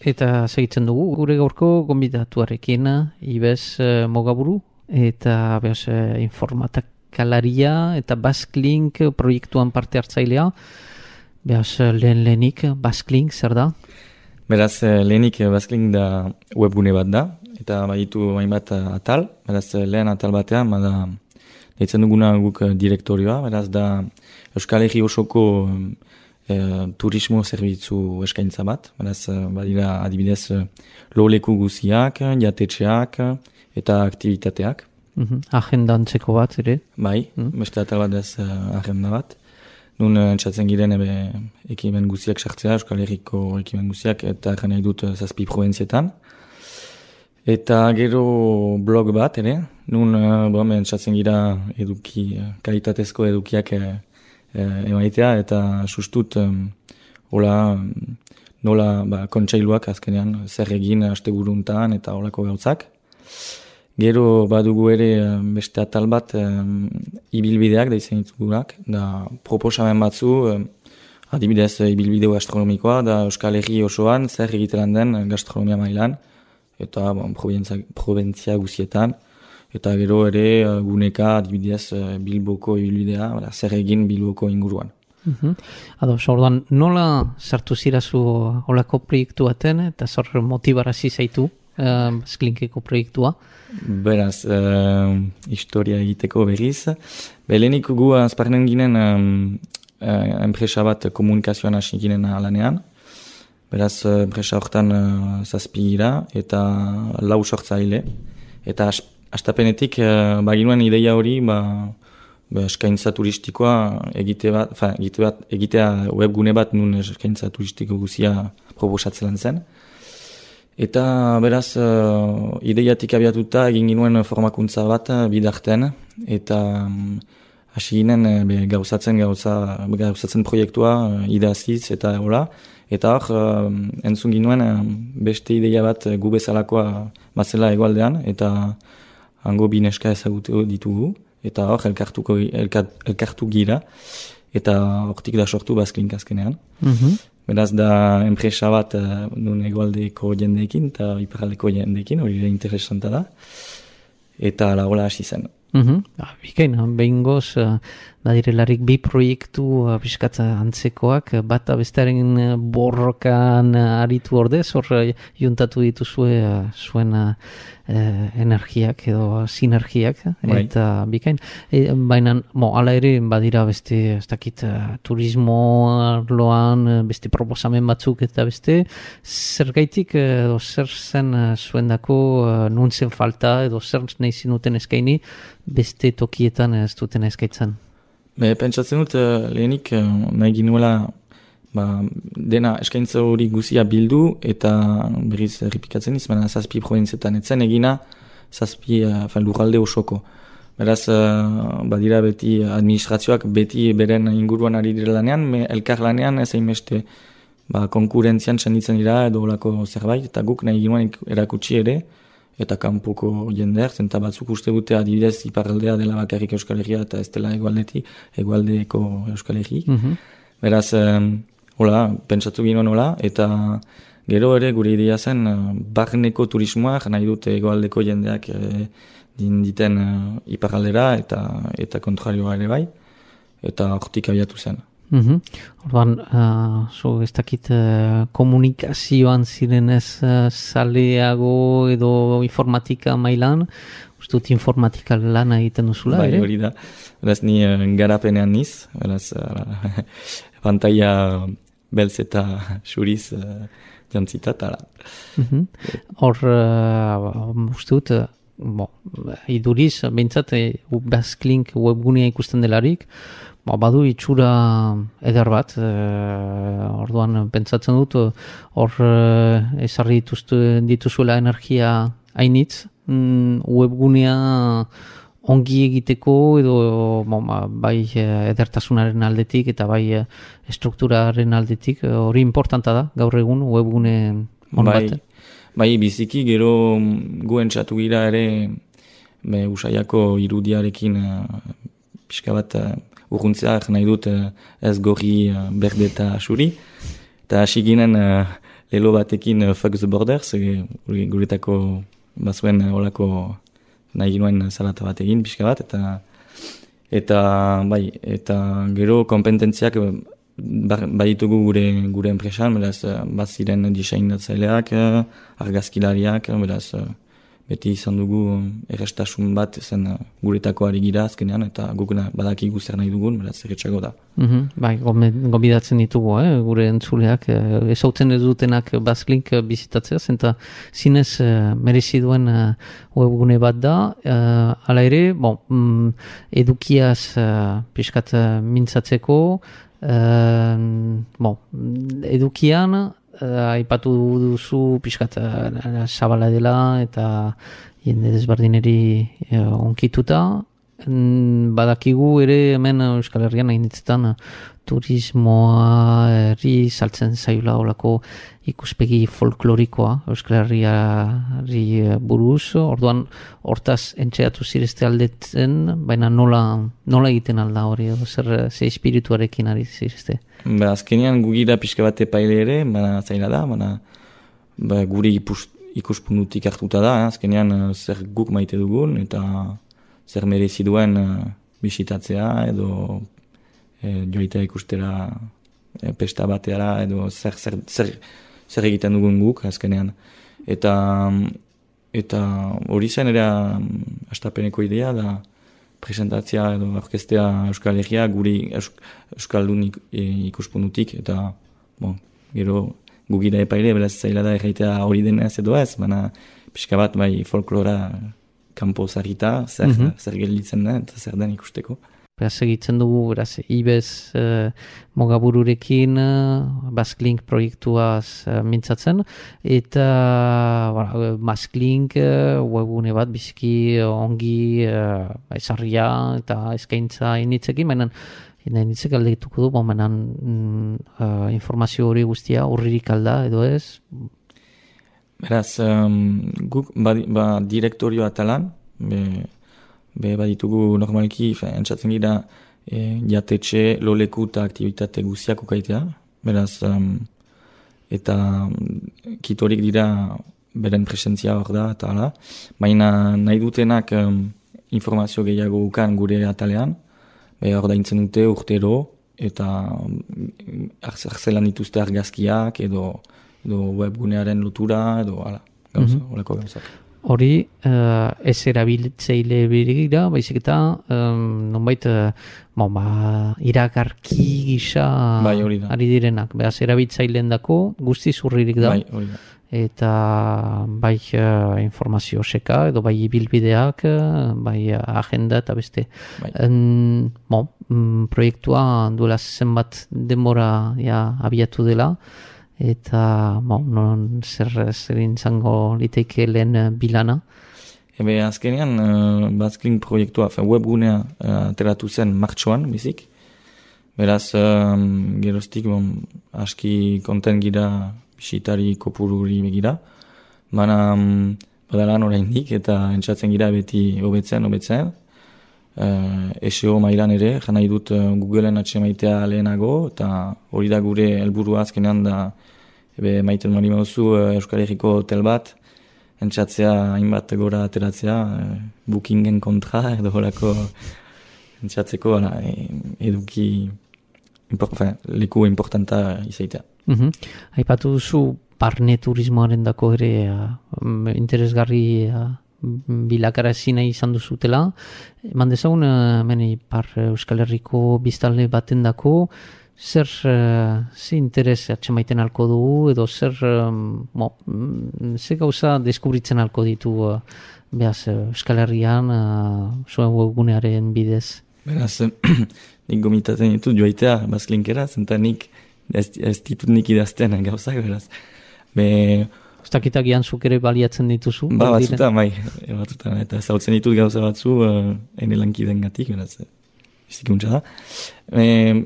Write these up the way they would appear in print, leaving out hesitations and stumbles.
eta segitzen dugu gure gaurko gonbidatuarekin Ibez Mogaburu eta informatikalaria eta Basklink proiektuan parte hartzailea. Lehenik Basklink zer da? Beraz, lehenik Basklink da webgune bat da, eta baditu hainbat atal. Beraz, lehen atal batean, bada deitzen duguna guk direktorioa, beraz da Euskal Herri osoko turismo zerbitzu eskaintza bat. Beraz, badira adibidez loleku guziak, jatetxeak eta aktivitateak. Agenda antzeko bat, ere? Bai, beste atal bat ez agenda bat. Nun entzatzen giren ekimen guziak sartzea, Euskal Herriko ekimen guziak, eta egin nahi dut 7 provintzietan. Eta gero blog bat, ere, nun entzatzen gira kalitatezko edukiak emaitea, eta sustut nola kontseiluak azkenean zer egin asteburuntan eta holako gauzak. Gero badugu ere beste atal bat ibilbideak da izan ditugunak, da proposamen batzu, adibidez ibilbide gastronomikoa, da Euskal Herri osoan zer egiteran den gastronomia mailan, eta provintzia guzietan, eta gero ere guneka adibidez Bilboko ibilbidea, zer egin Bilboko inguruan. Orduan, nola sartu zirazu olako proiektu baten, eta zor motibarazi zaitu Basklinkeko proiektua? Beraz, historia egiteko berriz. Belenik gu azparnen ginen enpresa bat komunikazioan hasi ginen lanean. Beraz, enpresa horretan 7 gira eta 4 sortzaile. Eta astapenetik baginuen ideia hori eskaintza turistikoa egitea webgune bat nun eskaintza turistiko guzia proposatzen zen. Eta beraz, ideiatik abiatuta egin ginuen formakuntza bat bidarten, eta hasi ginen gauzatzen proiektua idaziz eta hola. Eta hor, entzun ginuen beste ideia bat gu bezalakoa bazela hegoaldean, eta hango bi neska ezagutu ditugu, eta hor elkartu gira, eta hortik da sortu Basklink azkenean. Beraz da enpresa bat nun hegoaldeko jendeekin eta iparraldeko jendeekin, hori ere interesanta da. Eta hola hasi zen. Bikain, behingoz, badirelarik 2 proiektu piskatza antzekoak, bata bestearen borrokan aritu ordez, hor juntatu dituzue zuen energiak edo sinergiak, eta bikain. Baina, ala ere, badira beste, ez dakit, turismo arloan, beste proposamen batzuk eta beste, zergaitik edo zer zen zuendako nun zen falta edo zer nahi zinuten eskaini beste tokietan ez duten eskaitzen? Pentsatzen dut lehenik nahi ginuela dena eskaintza hori guzia bildu eta berriz errepikatzen izan 7 provintzietan etzen egina 7 lurralde osoko. Beraz, badira beti administrazioak beti beren inguruan ari dira lanean, elkar lanean ez hainbeste konkurentzian senditzen dira edo olako zerbait, eta guk nahi ginuen erakutsi ere, eta kanpoko jendeak, zenta batzuk uste dute adibidez iparraldea dela bakarrik Euskal Herria eta ez dela hegoaldeko Euskal Herri. Beraz, pentsatu ginoen hola, eta gero ere gure idea zen barneko turismoak nahi dute hegoaldeko jendeak diten iparraldera eta kontrarioa ere bai, eta hortik abiatu zen. Orduan, ez dakit komunikazioan zirenez zaleago edo informatika mailan, ustut informatika lan egiten duzula, ere? Bai, hori da. Beraz, ni garapenean niz, beraz, pantalla beltz eta xuriz jantzita, tala. Hor, ustut, iduriz, behintzat, Basklink webgunea ikusten delarik, badu itxura eder bat, orduan pentsatzen dut, hor ezarri dituzuela energia hainitz, webgunea ongi egiteko edo bai edertasunaren aldetik eta bai strukturaren aldetik, hori importanta da gaur egun webgune on bat. Bai, biziki gero guen txatu gira ere Usaiako irudiarekin pixka bat urruntzeak nahi dut ez gorri berde eta xuri. Eta hasi ginen lelo batekin Fuck the Borders, guretako bazuen olako nahi ginoen salata bat egin, pixka bat, eta gero kompetentziak baditugu gure enpresan, beraz, baziren diseinatzaileak, argazkilariak, beraz, beti izan dugu errestasun bat zen guretako ari gira azkenean, eta guk badakigu zer nahi dugun, beraz, erretxago da. Bai, gobidatzen ditugu, gure entzuleak, ezautzen ez dutenak Basklink bizitatzea, zenta zinez merezi duen webgune bat da, hala ere, edukiaz pixkat mintzatzeko, edukian, aipatu duzu pixkat zabala dela eta jende desberdineri onkituta. Badakigu ere hemen Euskal Herrian hainitzetan turismoa herri saltzen zaila olako ikuspegi folklorikoa Euskal Herriari buruz, orduan hortaz entxeatu zirezte aldetzen, baina nola egiten alda hori, ze espirituarekin ari zirezte? Azkenean gugira pixka bat epaile ere, zaila da, guri ikuspunutik hartuta da, azkenean zer guk maite dugun, eta zer merezi duen bisitatzea, edo joitea ikustera pesta bateara, edo zer egiten dugun guk, azkenean. Eta hori zen ere astapeneko idea da presentatzea edo orkestea Euskal Herria guri Euskaldun ikuspunutik, eta gero gugira epaile, beraz zaila da erraitea hori denez edo ez, baina pixka bat bai folklora kanpo zarita, zer gelditzen da, eta zer den ikusteko. Beraz egitzen dugu, beraz, Ibez Mogabururekin Basklink proiektuaz mintzatzen, eta Basklink webgune bat biziki ongi ezarria eta eskaintza initzekin, baina initzek aldituko du, informazio hori guztia urririk alda edo ez? Beraz, guk direktorio atalan, baditugu normalki, entzatzen gira jatetxe, loleku eta aktivitate guziak ukaitea, beraz, eta kitorik dira beren presentzia hor da, eta hala, baina nahi dutenak informazio gehiago ukan gure atalean, hor da intzen dute urtero, eta arzelan dituzte argazkiak, edo webgunearen lotura, edo hala, holako gauzak. Hori ez erabiltzeile birira, baizik eta nonbait iragarki gisa ari direnak. Beraz, erabiltzaileen dako guzti zurririk da. Bai, hori da. Eta bai informazio seka, edo bai ibilbideak, bai agenda eta beste. Bai. Proiektua duela zenbat denbora abiatu dela, eta zer izango liteke lehen bilana? Azkenean Basklink proiektua, webgunea ateratu zen martxoan, bizik. Beraz, geroztik aski konten gira bisitari kopururi begira. Baina badalan oraindik eta entzatzen gira beti hobetzen. SEO mailan ere, jana idut Googleen atxemaitea lehenago, eta hori da gure helburua azkenean da maiten mali mauzu Euskal Herriko hotel bat, entzatzea hainbat gora ateratzea, bookingen kontra, edo horako entzatzeko eduki leku importanta izaitea. Aipatu duzu barne turismoaren dako ere interesgarri bilakara ezina izan duzutela. Eman dezagun, Euskal Herriko biztanle baten dako, zer interes atxemaiten alko dugu, edo zer gauza deskubritzen alko ditu Euskal Herrian zuen webgunearen bidez? Beraz, nik gomitatzen ditut joaitea Basklinkera, zenta nik ez ditut nik idazten gauzak, beraz. Uztakitak zuk ere baliatzen dituzu? Batzutan, eta zautzen ditut gauza batzu ene lankiden gatik, beraz, bizikuntza da.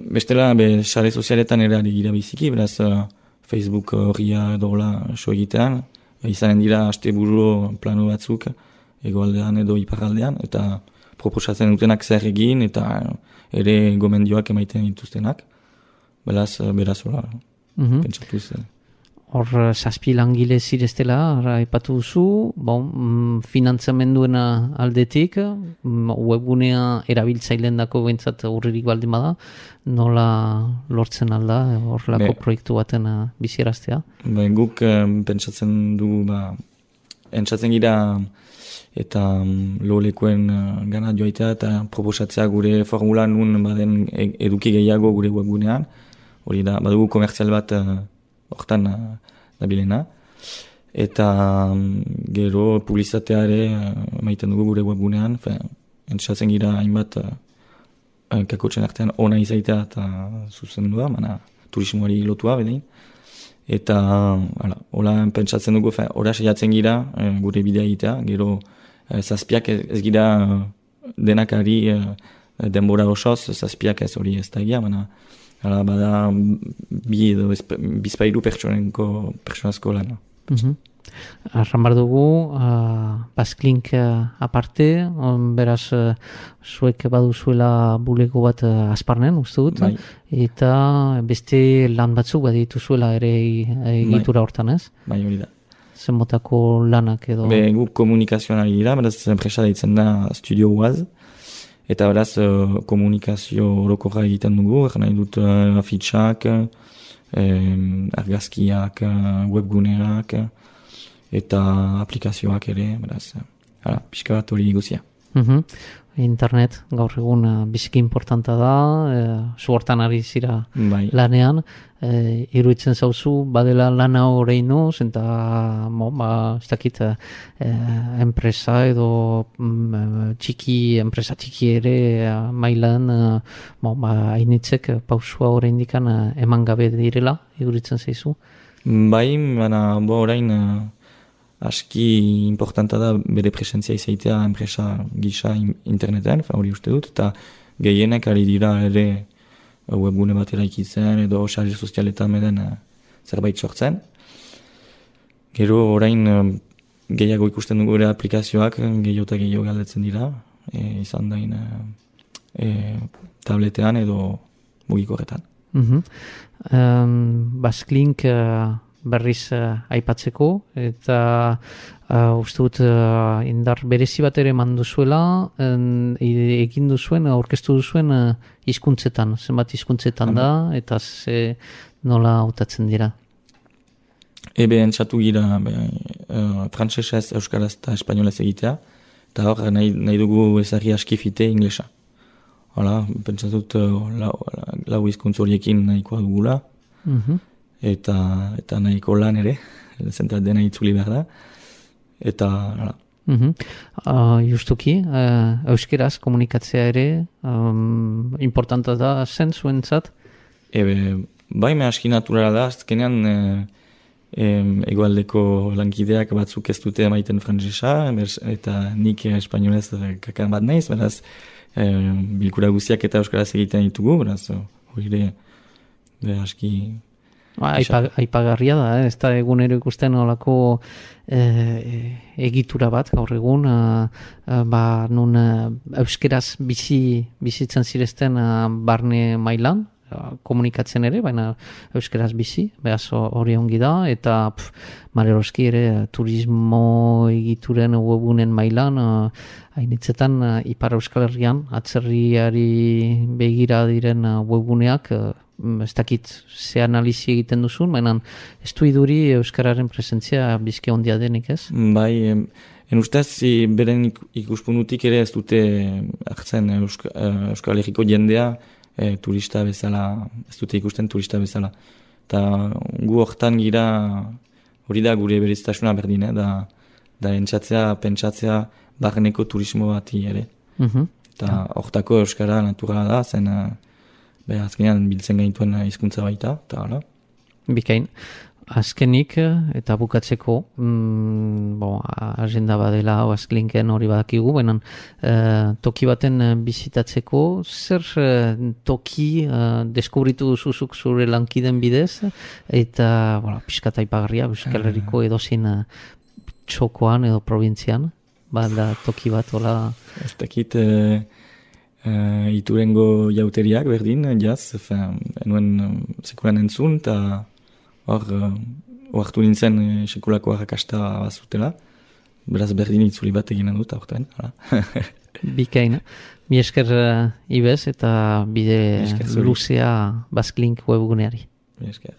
Bestela, sare sozialetan ere ari gira biziki, beraz, Facebook horria dola so egitean, izanen dira asteburu plano batzuk, egoaldean edo iparraldean, eta proposatzen dutenak zer egin, eta ere gomendioak emaiten dituztenak. Beraz, hola, pentsatuz. hor zazpi langile zireztela, aipatu duzu, finantzamenduena aldetik, webgunea erabiltzaileen dako bentsat urririk baldin bada, nola lortzen alda horrelako proiektu baten bizieraztea? Guk pentsatzen du, entzatzen gira eta lolekoen gana joaitea eta proposatzea gure formula nun baden eduki gehiago gure webgunean, hori da, badugu komertzial bat hortan dabilena. Eta gero publizitatea ere maiten dugu gure webgunean, entzatzen gira hainbat kakotxen artean ona izaitea eta zuzendua, turismoari lotua bedein. Eta hola pentsatzen dugu, hora saiatzen gira gure bidea egitea, gero zazpiak ez gira denakari denbora osoz, zazpiak ez hori ez da egia, bada bi edo bizpairu pertsonazko lana. Arran bar dugu, Basklink aparte, beraz, zuek baduzuela bulego bat Asparnen, uste dut, eta beste lan batzuk baditu zuela ere egitura hortan, ez? Bai, hori da. Zenbotako lanak edo... Guk komunikazioan ari dira, beraz, enpresa deitzen da Studio Oaz, eta beraz, komunikazio orokorra egiten dugu, nahi dut afitxak, argazkiak, webgunerak, eta aplikazioak ere, beraz, pixka bat hori guzia. Internet gaur egun biziki importanta da, zu hortan ari zira lanean, iruditzen zauzu, badela lana horreinoz, eta ez dakit enpresa edo enpresa txiki ere mailan hainitzek pausua horreindikan eman gabe direla, iruditzen zaizu? Bai, orain aski importanta da bere presentzia izaitea enpresa gisa interneten, hori uste dut, eta gehienek ari dira ere webgune bat eraikitzen edo sare sozialetan meden zerbait sortzen. Gero orain gehiago ikusten dugu ere aplikazioak gehiago eta gehiago galdetzen dira, izan dain tabletean edo mugikorretan. Basklink berriz aipatzeko, eta uste dut indar berezi bat ere manduzuela, egin duzuen, aurkeztu duzuen hizkuntzetan, zenbat hizkuntzetan da, eta nola hautatzen dira? Entzatu gira frantsesez, euskaraz eta espainolez egitea, eta hor nahi dugu ezarri askifite inglesa. Hala, pentsatut lau hizkuntz horiekin nahikoa dugula, eta nahiko lan ere, zentat dena itzuli behar da, eta hala. Justuki, euskeraz komunikatzea ere importanta da zen zuentzat? Bai, me aski naturala da, azkenean egoaldeko lankideak batzuk ez dute emaiten frantsesa, eta nik espainolez kakan bat naiz, beraz, bilkura guztiak eta euskaraz egiten ditugu, beraz, hori aski... Aipagarria da, ez da egunero ikusten olako egitura bat gaur egun, nun euskeraz bizitzen zirezten barne mailan, komunikatzen ere, baina euskeraz bizi, behaz hori ongi da, eta Mareroski ere turismo egituren webunen mailan, hainitzetan Ipar Euskal Herrian, atzerriari begira diren webuneak, ez dakit ze analizi egiten duzun, baina ez du iduri euskararen presentzia bizke ondia denik, ez? Bai, ustez, beren ikuspunutik ere ez dute hartzen Euskal Herriko jendea turista bezala, ez dute ikusten turista bezala. Eta gu hortan gira, hori da gure berezitasuna berdin, da entzatzea, pentsatzea barneko turismo bati ere. Eta hortako euskara naturala da, zen azkenean biltzen gaituen hizkuntza baita, eta hala. Bikain, azkenik eta bukatzeko, agenda badela Basklinken hori badakigu, baina toki baten bizitatzeko, zer toki deskubritu duzuzuk zure lankiden bidez, eta pixkat aipagarria, Euskal Herriko edozein txokoan edo provintzian, bada toki bat, hola... Ez dakit... Iturengo jauteriak berdin, jaz, enuen sekuran entzun, eta hor oartu nintzen sekulako arrakasta bazutela. Beraz berdin itzuli bat eginen dut, aurten. Bikaina. Mi esker Ibez eta bide luzea Basklink webguneari. Mi esker.